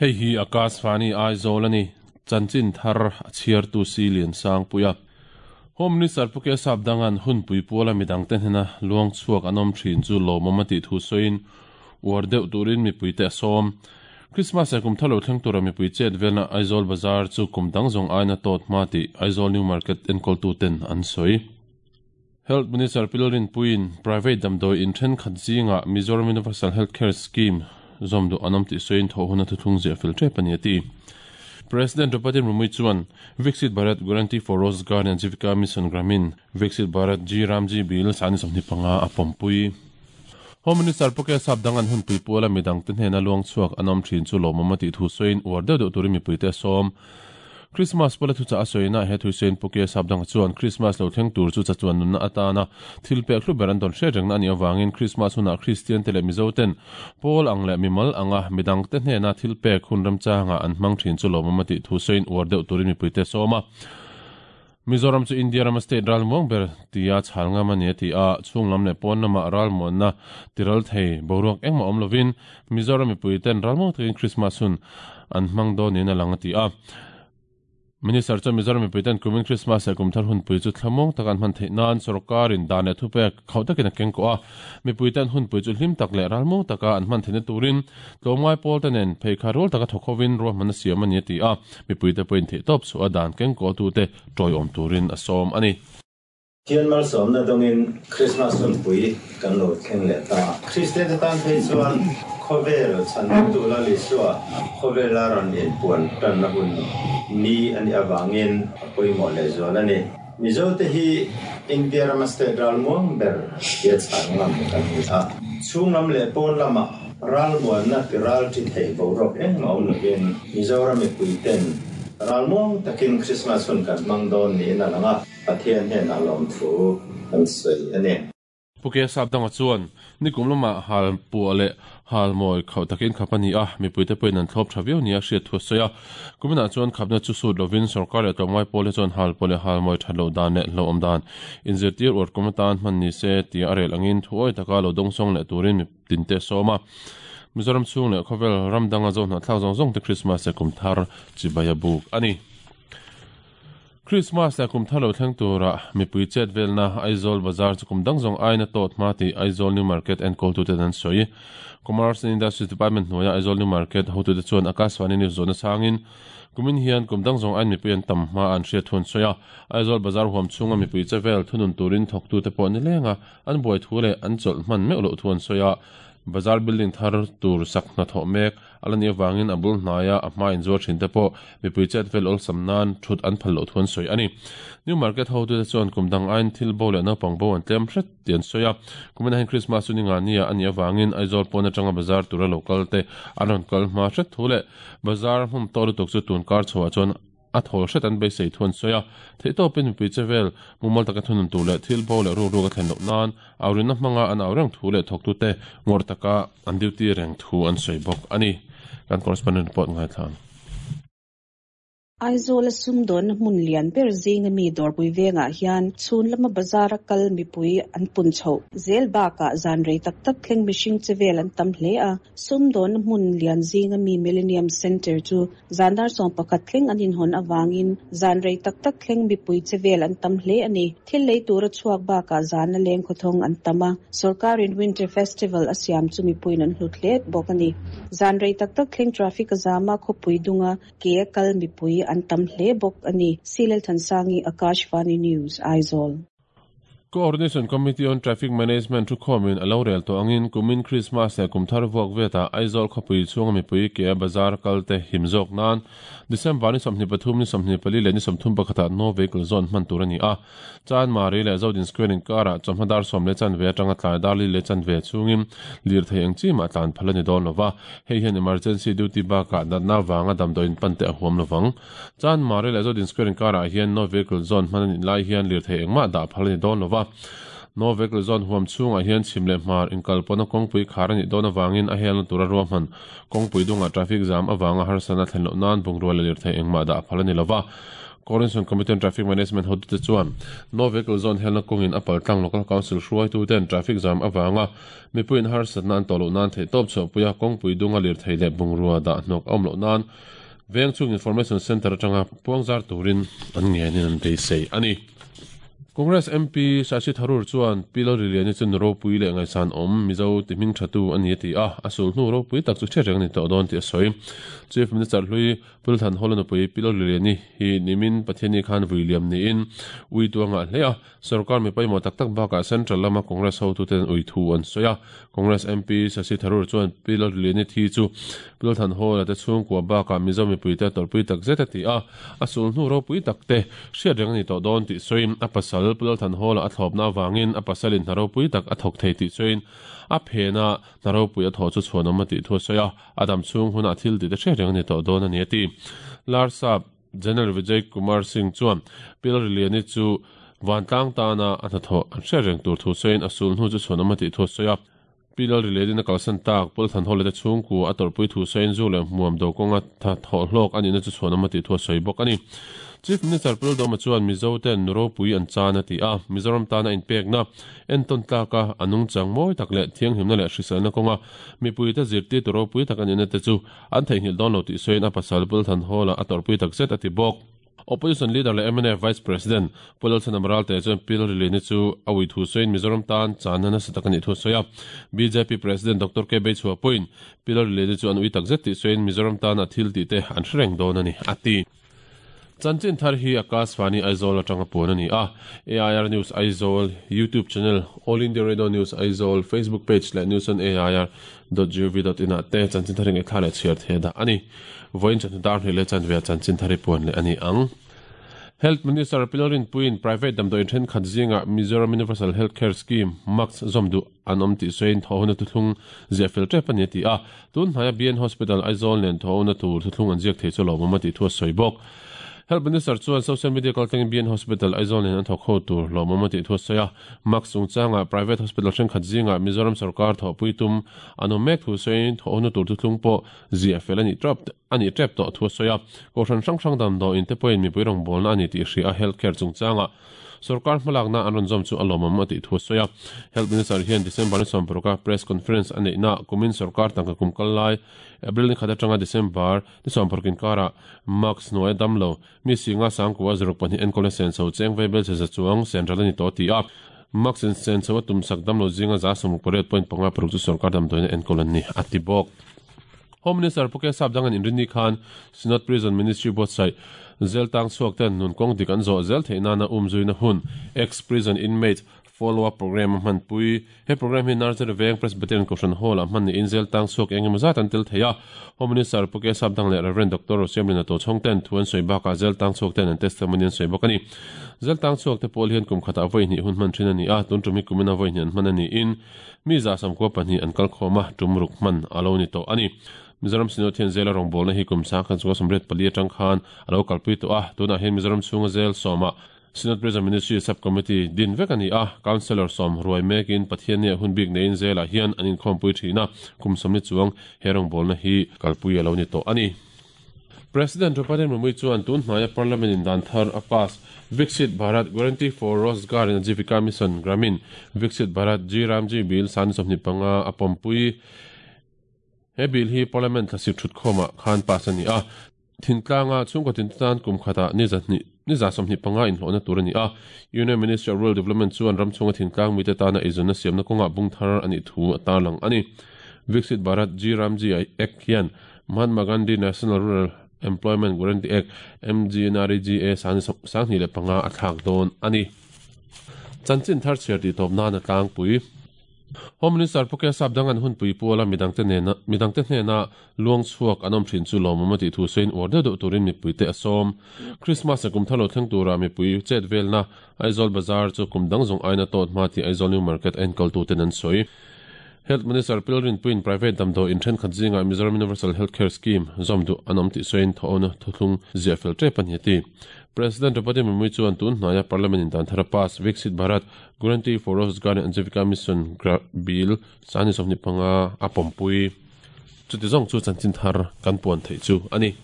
Hei hi Akashvani Aizawl a ni. Chanchin thar a chhiartu si Liansangpuia. Home Minister Pu Kesap Dangan hunpui puala midangte hnena luang chhuak an awm thin chu lawmawm a tih thu sawiin uar deuh turin mipuite a sawm. Christmas leh kum thar lo thleng tura mipui chet velna Aizawl Bazar chu kum dang zawng aina tawt hma tih Aizawl New Market enkawltuten an sawi. Health Minister Pi Lalrinpuiin private damdawi in thenkhat zingah Mizoram Universal Health Care Scheme zawm duh an awm tih sawiin thawh huna thuthlung ziah fel tep a ni a ti. President Draupadi Murmu chuan Viksit Bharat Guarantee for Rozgar and Ajeevika Mission Gramin Viksit Bharat G Ramji Bill sani 25 a pawmpui. Home Minister Pu Kesap Dangan hunpui puala midangte hnena luang chhuak an awm thin chu lawmawm a tih thu sawiin uar deuh deuh turin mipuite a sawm. Christmas pawla thuchah a sawina he thu sawiin Pu Kesap Danga chuan Christmas lo thleng tur chu chachuan nunna atana thil pek hlu ber an dawn hriat rengna a nih avangin Christmas hunah Kristian te leh Mizo ten pawl ang leh mimal anga midangte hnena thil pek hun remchangah an hmang thin chu lawmawm a tih thu sawiin uar deuh turin mipuite a sawm a. Mizoram chu India rama state ralmuang ber tia chhal ngam a ni a ti a, chhung lam leh pawn lamah ralmuanna tiral thei boruak engmah awm lovin Mizoram mipui ten ralmuang takin Christmas hun an hmang dawn niin a lang a ti a. Minister chuan Mizoram mipui ten kumin Christmas leh kumthar hunpui chu thlamuang taka an hman theih nan sawrkarin dan leh thupek khauh takin a keng kawh a, mipui ten hunpui chu hlim tak leh ralmuang taka an hman theihna turin tlawmngai pawl te nen pheikhai rual taka thawk hovin ruahmanna siam a ni a ti a. Mipuite pawhin theihtawp chhuah a dan kengkawhtute tawiawm turin a sawm a ni. Thian malsawmna dawngin Krismas hunpui kan lo thleng leh ta. Kristiante tan phei chuan khawvel chhantu Lal Isua khawvela rawn inpuan tanna hun ni a nih avangin a pawimawh lehzual a ni. Mizote hi India rama state ralmuang ber tia chhan ngam kan ni a. Chhung lam leh pawn lamah ralmuanna ti ral thi thei boruak engmah awm lovin Mizoram mipuiten ralmuang takin Krismas hun kan hmang dawn niin a lang a, Pathian hnenah lawmthu kan sawi a ni. Pu Kesap Danga chuan nikum lamah hal puah leh hal mawi khauh takin khap a ni a, mipuite pawhin an thlawp tha viau nia hriat thu a sawi a. Kuminah chuan khapna chu sut lovin sawrkar leh tlawmngai pawl hi chuan hal puah leh hal mawi that loh dan leh hlauhawm dan inzirtir uar kum atan hman ni se tia a rel angin thuawi taka lo dawngsawng leh turin miptinte a sawm a. Mizoram chhung leh khawvel ram danga zo hnahthlak zawng zawng te Krismas leh kumthar chibai a buk a ni. Krismas leh kum thar lo thleng tura mipui chet velna Aizawl Bazar chu kum dang zawng aiin a tawt hma tih Aizawl New Market enkawltuten an sawi. Commerce and Industries Department hnuaia Aizawl New Market hotute chuan Akashvani News zawhna changin kumin hian kum dang zawng aiin mipui an tam hma an hriat thu an sawi a. Aizawl Bazar huam chhunga mipui che vel thunun turin thawktute pawh nilenga an buai thu leh an chawlh hman meuh loh thu an sawi a. Bazar building thar tur sak hnathawh mek A la nih avangin a bul hnaia a hma inzuar thin te pawh mipui chet vel awlsam nan thut an phal loh thu an sawi a ni. New Market hotute chuan kum dang aiin thil bo leh naupang bo an tlem hret tih an sawi a. Kumin ahin Krismas chu ni nga nia a nih avangin Aizawl pawn atanga bazar tura lo kal te an rawn kal hma hret thu leh bazar hmun tawh lutuk chu tun kar chhoah chuan A thawl hret an beisei thu an sawi a, theihtawpin mipui che vel mumal taka thunun tur leh thil bo leh ruk ruk a thlen loh nan aurinna hmanga an au reng thu leh thawktute ngawrh taka an duty reng thu an sawi bawk a ni. Kan correspondent report ngaithla ang. Aizawl a sumdawnna hmun lian ber zinga mi dawrpui vengah hian chhun lama bazar a kal mipui an pun chhoh zel bakah zan rei tak tak thleng mihring che vel an tam hle a. Sumdawnna hmun lian zinga mi Millennium Centre chu zan dar 11 thleng an inhawn avangin zan rei tak tak thleng mipui che vel an tam hle a ni. Thil lei tura chhuak bakah zana leng khawthawng an tam a, sawrkarin Winter Festival a siam chu mipuiin an hlut hle bawk a ni. Zan rei tak tak thleng traffic a zam a, khawpui dunga ke a kal mipui an tam hle bawk a ni. Silelthansangi, Akashvani News, Aizawl. Coordination Committee on Traffic Management thukhawmin a lo rel tawh angin kumin Krismas leh kumthar vuak vetah Aizawl khawpui chhunga mipui ke bazar kal te him zawk nan December ni 23, ni 24 leh ni 31 ah No Vehicle Zone hman tur a ni a. Chanmari leh Zodin Square inkarah chawhma dar sawm leh chanve atanga tlai dar li leh chanve chhungin lirthei eng chi mah tlan phal a ni dawn lova, hei hian emergency duty bakah natna avanga damdawiin pan te a huam lovang. Chanmari leh Zodin Square inkarah hian No Vehicle Zone hman a nih lai hian lirthei engmah dah phal a ni dawn lova. No Vehicle Zone huam chhungah hian chhim leh hmar inkalpawhna kawngpui khar a nih dawn avangin a helna tura ruahman kawngpui dungah traffic jam avanga harsatna thlen loh nan bungrua leh lirthei engmah dah phal a ni lova. Coordination Committee on Traffic Management hotute chuan No Vehicle Zone helna kawngin a paltlang Local Council hruaituten traffic jam avanga mipuiin harsatna an tawh loh nan theihtawp chhuahpuia kawngpui dunga lirthei leh bungrua dah hnawk a awm loh nan Vengchhung Information Centre atanga puangzar turin an ngenin an beisei a ni. Congress MP Shashi Tharoor chuan Pi Lalriliani chu nu ropui leh ngaihsan awm Mizo ti hming thatu a ni a ti a, a sulhnu ropui tak chu hriat reng a ni tawh dawn tih a sawi. Chief Minister hlui Pu Lalthanhawla nupui Pi Lalriliani hi nimin Pathianni khan vui liam niin ui tu a ngah hle a, Sorkar mi pawimawh tak tak bakah Central lama Congress hotuten ui thu an sawi a. Congress MP Shashi Tharoor chuan Pi Lalriliani thi chu Pi Lalthanhawla te chhungkua bakah Mizo mipuite a tawrhpui tak zet a ti a, a sulhnu ropui tak te hriat reng a ni tawh dawn tih sawiin a pasal Pu Lalthanhawla a thlawpna avangin a pasalin hna ropui tak a thawk thei tih sawiin a phena hna ropui a thawh chu chhuanawm a tih thu a sawi a, a dam chhung hunah thil tih te hriat reng a ni tawh dawn a ni a ti. Larsap. General Vijay Kumar Singh chuan Pi Lalriliani chu vantlang tana a hnathawh an hriat reng tur thu sawiin a sul hnu chu chhuanawm a tih thu a sawi a. Pi Lalriliani'n a kalsan tak Pulthanhawla te chhungkua a tawrhpui thu sawiin zu leh hmuam do kawnga thawh hlawk a nihna chu chhuanawm a tih thu a sawi bawk a ni. Chief Minister Pu Lalduhoma chuan Mizo ten nu ropui an chan a ti a, Mizoram tana inpekna entawn tlaka a nungchang mawi tak leh thianghlimna leh hriselna kawnga mipuite zirtirtu ropui tak a nihna te chu An theihnghilh dawn lo tih sawiin a pasal Pulthan Hall-ah a tawrhpui tak zet a ti bawk. Opposition Leader leh mnf Vice President Pu Lalchhanam Ralte chuan Pi Lalrilini chu a ui thu sawiin Mizoram tan channa nasa tak a nih thu a sawi a. Bjp President Doctor K Beichhua pawhin Pi Lalrilini chu an ui tak zet tih sawiin Mizoram tana thil tih te an hre reng dawn a ni, a ti. Chanchin thar hi Akashvani Aizawl atanga puan a ni a, AIR News Aizawl YouTube channel, All India Radio News Aizawl Facebook page leh News on AIR dot gov dot in ah te chanchin thar hi ngaihthla leh chhiar thei a dah a ni. Vawiin chawhnu dar hnih leh chanve ah chanchin thar hi puan leh a ni ang. Health Minister Pi Lalrinpuiin private damdawiin thenkhat zingah Mizoram Universal Health Care Scheme, MUCS, zawm duh an awm tih sawiin thawhhona thuthlung ziah fel tep a ni a ti a. Tun hnaia BN Hospital Aizawl nen thawhhona tur thuthlung an ziak thei chu lawmawm a tih thu a sawi bawk. Health Minister chuan social media kaltlangin BN Hospital Aizawl nen an thawk ho tur lawmawm a tih thu a sawi a. Mask chungchangah private hospital thenkhat zingah Mizoram sorkar thawhpui tum an awm mek thu sawiin thawhhona tur thuthlung pawh ziah fel a nih tap a nih tep tawh thu a sawi a. Kohhran hrang hrang damdawiin te pawhin mipui rawngbawlna a ni tih hria a health care chungchangah Sorkar hmalakna an rawn zawm chu a lawmawm a tih thu a sawi a. Health Minister hian December ni 16 a press conference a neihnaah kumin sorkar tangka kum kal lai April ni khat atanga December ni 16 inkarah mask hnuaia dam lo mi singa sangkua zaruk pahnih enkawlna senso cheng vei bel chhe za chuang senral a ni tawh a ti a. Mask in senso a tumsak dam lo zinga za sawmruk pariat point panga paruk chu sorkar damdawiin a enkawl an ni a ti bawk. Home Minister Pu Kesap Dangan inrinni khan Synod Prison Ministry buatsaih zel tang chhuak ten nun kawng dik an zawh zel theih nana umzuina hun Ex-Prison Inmate Follow-up Programme a hmanpui. He programme hi Nursery Veng Presbyterian Kohhran Hall-ah hman niin zel tang chhuak eng emaw zat an tel thei a. Home Minister Pu Kesap Dang leh Rev. Doctor Rosiamlina Tochhawng ten thu an sawi bakah zel tang chhuak ten an testimony an sawi bawk a ni. Zel tang chhuak te pawl hian kum khatah vawi hnih hun hman thin a ni a, tun tum hi kumina vawi hnih an hman a niin Mi za samkua pahnih an kal khawm a, tum ruk hman a lo ni tawh a ni. Mizoram Synod hian zela rawngbawlna hi kum sang khan chunga sawmriat pali atang khan a lo kalpui tawh a, tunah hian Mizoram chhunga zel sawmah Synod Prison Ministry Sub-Committee din vek a ni a, Councellor sawm ruai mekin Pathiannia hun bik neiin zelah hian an inkhawmpui thin a, kum sawmni chuang he rawngbawlna hi kalpui a lo ni tawh a ni. President Draupadi Murmu chuan tun hnaia Parliament in dan thar a pass Viksit Bharat Guarantee for Rozgar and Ajeevika Mission Gramin Viksit Bharat G Ramji Bill sani 25 a pawmpui. He bill hi Parliament thlasik thutkhawmah khan pass a ni a. Thingtlanga chhungkaw tin tan kum khatah ni zahnih ni za 25 inhlawhna tur a ni a. Union Ministry of Rural Development chuan ram chhunga thingtlang mite tana eizawnna siamna kawngah bung thar a nih thu a tarlang a ni. Viksit Bharat G Ramji Act hian Mahatma Gandhi National Rural Employment Guarantee Act, MGNREGA, 2025 a thlak dawn a ni. Chanchin thar chhiar tih tawp nan a tlangpui. Home Minister Pu Kesap Dangan hunpui puala midangte nena midangte hnena luang chhuak an awm thin chu lawmawm a tih thu sawiin uar deuh deuh turin mipuite a sawm. Christmas a kum thar lo thleng tura mipui chet velna Aizawl Bazar chu kum dang zawng aina tawt hma tih Aizawl New Market a enkawltuten an sawi. Health Minister Pilrinpuiin private damdawi in thenkhat zingah Mizoram Universal Health Care Scheme zawm duh an awm tih sawiin thawhawna thuthlung ziah fel tep a ni a ti. President Draupadi Murmu chuan tun hnaia Parliament in dan thar a pass Viksit Bharat Guarantee for Rozgar and Ajeevika Mission Bill 2025 a pawmpui. Chuti zawng chu chanchin thar kan puan theih chu a ni.